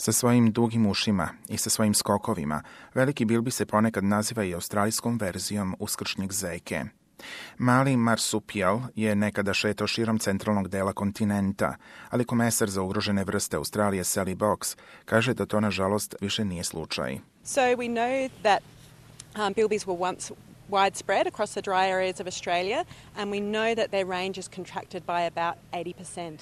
Sa svojim dugim ušima i sa svojim skokovima, veliki bilbi se ponekad naziva i australijskom verzijom uskršnjeg zeke. Mali marsupijal je nekada šetao širom centralnog dela kontinenta, ali komesar za ugrožene vrste Australije Sally Box kaže da to nažalost više nije slučaj. So we know that bilbies were once widespread across the dry areas of Australia, and we know that their range is contracted by about 80%.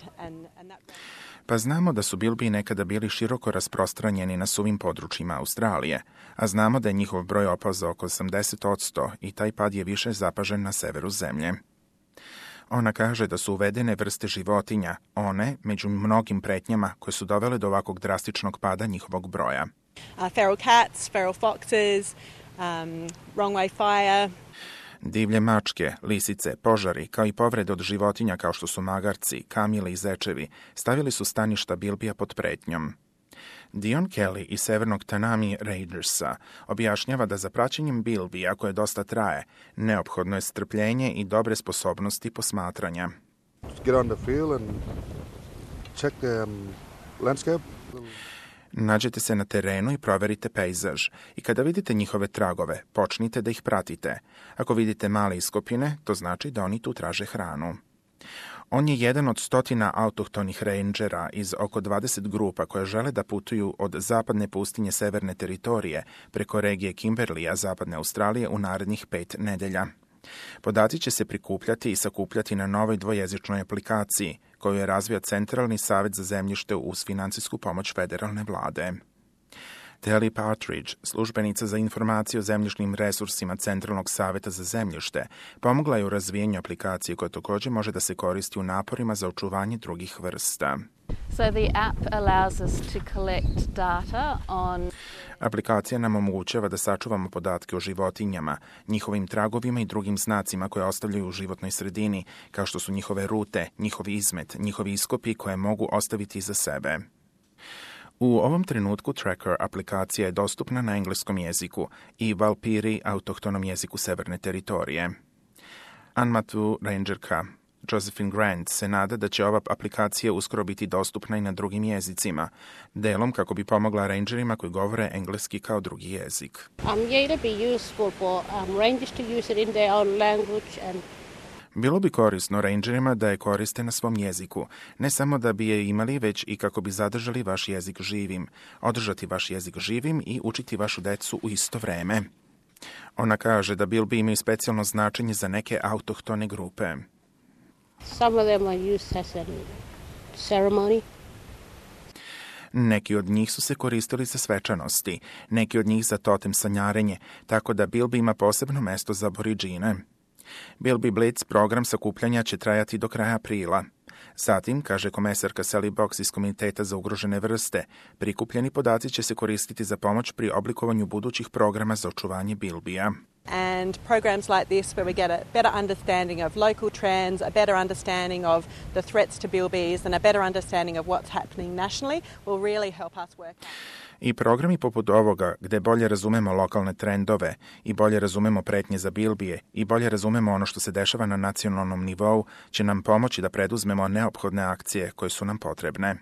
Pa znamo da su bilbiji nekada bili široko rasprostranjeni na suvim područjima Australije, a znamo da je njihov broj opao za oko 80% i taj pad je više zapažen na severu zemlje. Ona kaže da su uvedene vrste životinja, one među mnogim pretnjama koje su dovele do ovakvog drastičnog pada njihovog broja. Feral cats, feral foxes, wrong way fire. Divlje mačke, lisice, požari, kao i povrede od životinja kao što su magarci, kamile i zečevi, stavili su staništa bilbija pod pretnjom. Dion Kelly iz severnog Tanami Rangersa objašnjava da za praćenjem bilbija, koje dosta traje, neophodno je strpljenje i dobre sposobnosti posmatranja. Get on the field and check the landscape. Nađete se na terenu i proverite pejzaž i kada vidite njihove tragove, počnite da ih pratite. Ako vidite male iskopine, to znači da oni tu traže hranu. On je jedan od 100 autohtonih rangera iz oko 20 grupa koje žele da putuju od zapadne pustinje severne teritorije preko regije Kimberleya zapadne Australije u narednih 5 nedelja. Podaci će se prikupljati i sakupljati na novoj dvojezičnoj aplikaciji koju je razvio Centralni savet za zemljište uz financijsku pomoć federalne vlade. Telly Partridge, službenica za informaciju o zemljišnim resursima Centralnog saveta za zemljište, pomogla je u razvijenju aplikacije koja također može da se koristi u naporima za očuvanje drugih vrsta. So the app allows us to collect data on... Aplikacija nam omogućava da sačuvamo podatke o životinjama, njihovim tragovima i drugim znacima koje ostavljaju u životnoj sredini, kao što su njihove rute, njihov izmet, njihovi iskopi koje mogu ostaviti iza sebe. U ovom trenutku Tracker aplikacija je dostupna na engleskom jeziku i Valpiri, autohtonom jeziku severne teritorije. Anmatu rangerka Josephine Grant se nada da će ova aplikacija uskoro biti dostupna i na drugim jezicima, delom kako bi pomogla rangerima koji govore engleski kao drugi jezik. Bilo bi korisno rangerima da je koriste na svom jeziku, ne samo da bi je imali, već i kako bi zadržali vaš jezik živim, održati vaš jezik živim i učiti vašu decu u isto vreme. Ona kaže da bilbi imaju specijalno značenje za neke autohtone grupe. Some of them are used as a ceremony. Neki od njih su se koristili za svečanosti, neki od njih za totem sanjarenje, tako da bilbi ima posebno mesto za aboriđine. Bilbi Blitz program sakupljanja će trajati do kraja aprila. Zatim, kaže komesarka Sally Box iz Komiteta za ugrožene vrste, prikupljeni podaci će se koristiti za pomoć pri oblikovanju budućih programa za očuvanje bilbija. And programs like this where we get a better understanding of local trends, a better understanding of the threats to bilbies and a better understanding of what's happening nationally will really help us work out. I programi poput ovoga, gde bolje razumemo lokalne trendove i bolje razumemo pretnje za bilbije i bolje razumemo ono što se dešava na nacionalnom nivou, će nam pomoći da preduzmemo neophodne akcije koje su nam potrebne.